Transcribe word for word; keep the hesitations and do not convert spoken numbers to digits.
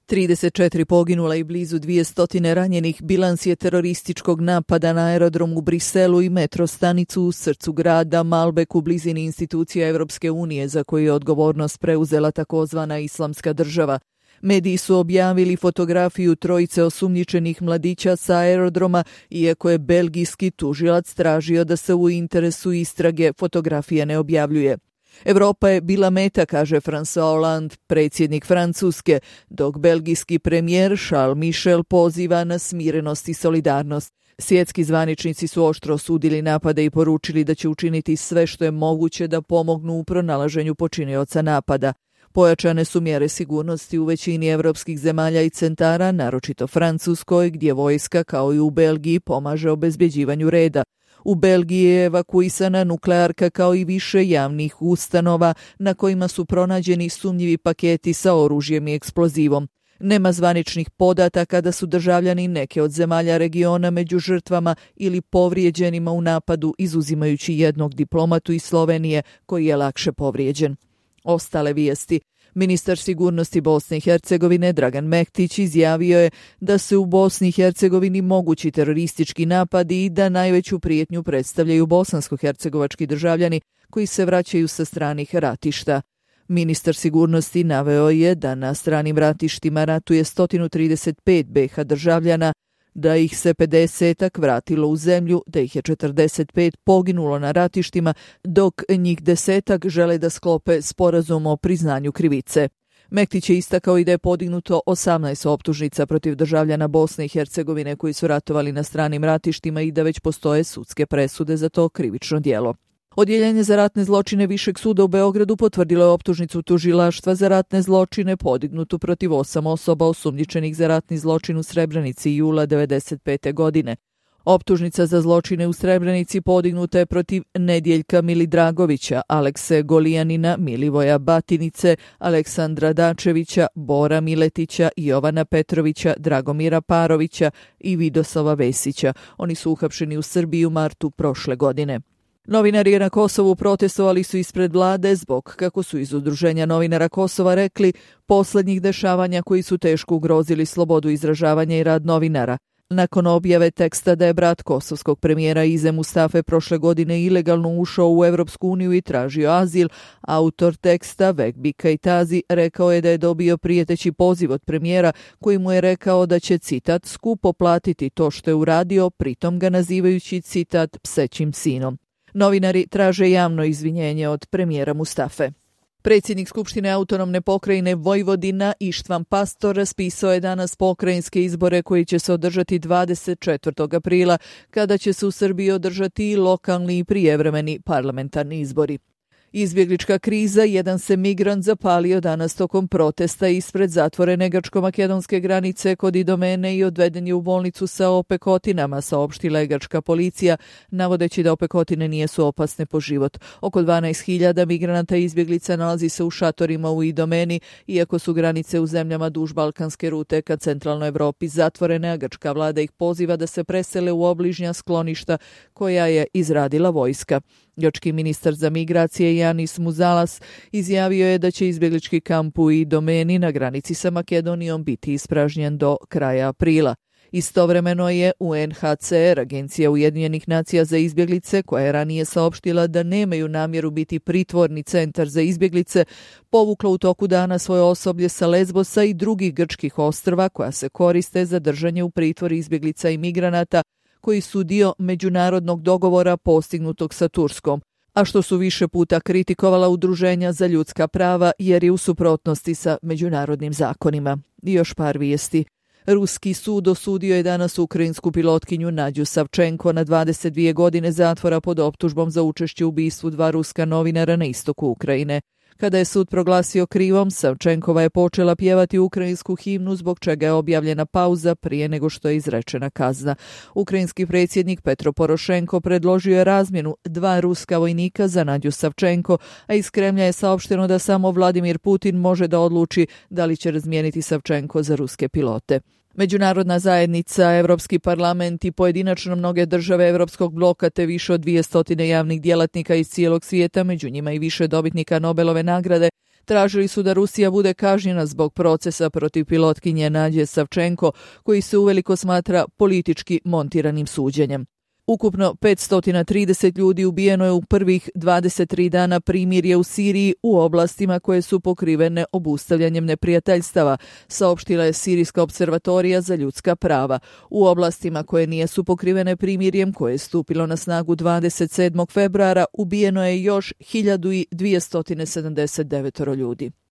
trideset četiri poginula i blizu dvjesto ranjenih bilans je terorističkog napada na aerodrom u Briselu i metro stanicu u srcu grada Malbek u blizini institucija Europske unije za koju je odgovornost preuzela takozvana Islamska država. Mediji su objavili fotografiju trojice osumnjičenih mladića sa aerodroma, iako je belgijski tužilac tražio da se u interesu istrage fotografija ne objavljuje. Europa je bila meta, kaže François Hollande, predsjednik Francuske, dok belgijski premijer Charles Michel poziva na smirenost i solidarnost. Svjetski zvaničnici su oštro osudili napade i poručili da će učiniti sve što je moguće da pomognu u pronalaženju počinioca napada. Pojačane su mjere sigurnosti u većini evropskih zemalja i centara, naročito Francuskoj, gdje vojska, kao i u Belgiji, pomaže obezbjeđivanju reda. U Belgiji je evakuisana nuklearka kao i više javnih ustanova na kojima su pronađeni sumnjivi paketi sa oružjem i eksplozivom. Nema zvaničnih podataka da su državljani neke od zemalja regiona među žrtvama ili povrijeđenima u napadu, izuzimajući jednog diplomatu iz Slovenije koji je lakše povrijeđen. Ostale vijesti. Ministar sigurnosti Bosne i Hercegovine Dragan Mektić izjavio je da se u Bosni i Hercegovini mogući teroristički napadi i da najveću prijetnju predstavljaju bosansko-hercegovački državljani koji se vraćaju sa stranih ratišta. Ministar sigurnosti naveo je da na stranim ratištima ratuje sto trideset pet be ha državljana, da ih se pedesetak vratilo u zemlju, da ih je četrdeset pet poginulo na ratištima, dok njih desetak žele da sklope sporazum o priznanju krivice. Mektić je istakao i da je podignuto osamnaest optužnica protiv državljana Bosne i Hercegovine koji su ratovali na stranim ratištima i da već postoje sudske presude za to krivično djelo. Odjeljenje za ratne zločine Višeg suda u Beogradu potvrdilo je optužnicu tužilaštva za ratne zločine podignutu protiv osam osoba osumnjičenih za ratni zločin u Srebrenici jula devedeset pete. godine. Optužnica za zločine u Srebrenici podignuta je protiv Nedjeljka Milidragovića, Alekse Golijanina, Milivoja Batinice, Aleksandra Dačevića, Bora Miletića, Jovana Petrovića, Dragomira Parovića i Vidoslava Vesića. Oni su uhapšeni u Srbiji u martu prošle godine. Novinari na Kosovu protestovali su ispred vlade zbog, kako su iz Udruženja novinara Kosova rekli, posljednjih dešavanja koji su teško ugrozili slobodu izražavanja i rad novinara. Nakon objave teksta da je brat kosovskog premijera Ize Mustafe prošle godine ilegalno ušao u Europsku uniju i tražio azil, autor teksta Vekbi Kajtazi rekao je da je dobio prijeteći poziv od premijera koji mu je rekao da će, citat, skupo platiti to što je uradio, pritom ga nazivajući, citat, psećim sinom. Novinari traže javno izvinjenje od premijera Mustafe. Predsjednik Skupštine autonomne pokrajine Vojvodina Ištvan Pastor raspisao je danas pokrajinske izbore koji će se održati dvadeset četvrtog aprila, kada će se u Srbiji održati i lokalni i prijevremeni parlamentarni izbori. Izbjeglička kriza, jedan se migrant zapalio danas tokom protesta ispred zatvorene grčko-makedonske granice kod Idomene i odveden je u bolnicu sa opekotinama, saopštila je grčka policija, navodeći da opekotine nijesu opasne po život. Oko dvanaest hiljada migranata i izbjeglica nalazi se u šatorima u Idomeni, iako su granice u zemljama duž balkanske rute ka centralnoj Evropi zatvorene, a grčka vlada ih poziva da se presele u obližnja skloništa koja je izradila vojska. Grčki ministar za migracije Janis Muzalas izjavio je da će izbjeglički kamp u Idomeni na granici sa Makedonijom biti ispražnjen do kraja aprila. Istovremeno je U N H C R, Agencija Ujedinjenih nacija za izbjeglice, koja je ranije saopštila da nemaju namjeru biti pritvorni centar za izbjeglice, povukla u toku dana svoje osoblje sa Lesbosa i drugih grčkih ostrva koja se koriste za držanje u pritvori izbjeglica i migranata koji su dio međunarodnog dogovora postignutog sa Turskom, a što su više puta kritikovala udruženja za ljudska prava jer je u suprotnosti sa međunarodnim zakonima. I još par vijesti. Ruski sud osudio je danas ukrajinsku pilotkinju Nadju Savčenko na dvadeset dvije godine zatvora pod optužbom za učešće u ubistvu dva ruska novinara na istoku Ukrajine. Kada je sud proglasio krivom, Savčenkova je počela pjevati ukrajinsku himnu, zbog čega je objavljena pauza prije nego što je izrečena kazna. Ukrajinski predsjednik Petro Porošenko predložio je razmjenu dva ruska vojnika za Nadju Savčenko, a iz Kremlja je saopšteno da samo Vladimir Putin može da odluči da li će razmijeniti Savčenko za ruske pilote. Međunarodna zajednica, Evropski parlament i pojedinačno mnoge države Evropskog bloka te više od dvije stotine javnih djelatnika iz cijelog svijeta, među njima i više dobitnika Nobelove nagrade, Tražili su da Rusija bude kažnjena zbog procesa protiv pilotkinje Nadje Savčenko, koji se uveliko smatra politički montiranim suđenjem. Ukupno petsto trideset ljudi ubijeno je u prvih dvadeset tri dana primirja u Siriji u oblastima koje su pokrivene obustavljanjem neprijateljstava, saopštila je Sirijska observatorija za ljudska prava. U oblastima koje nijesu pokrivene primirjem, koje je stupilo na snagu dvadeset sedmog februara, ubijeno je još hiljadu dvjesto sedamdeset devet ljudi.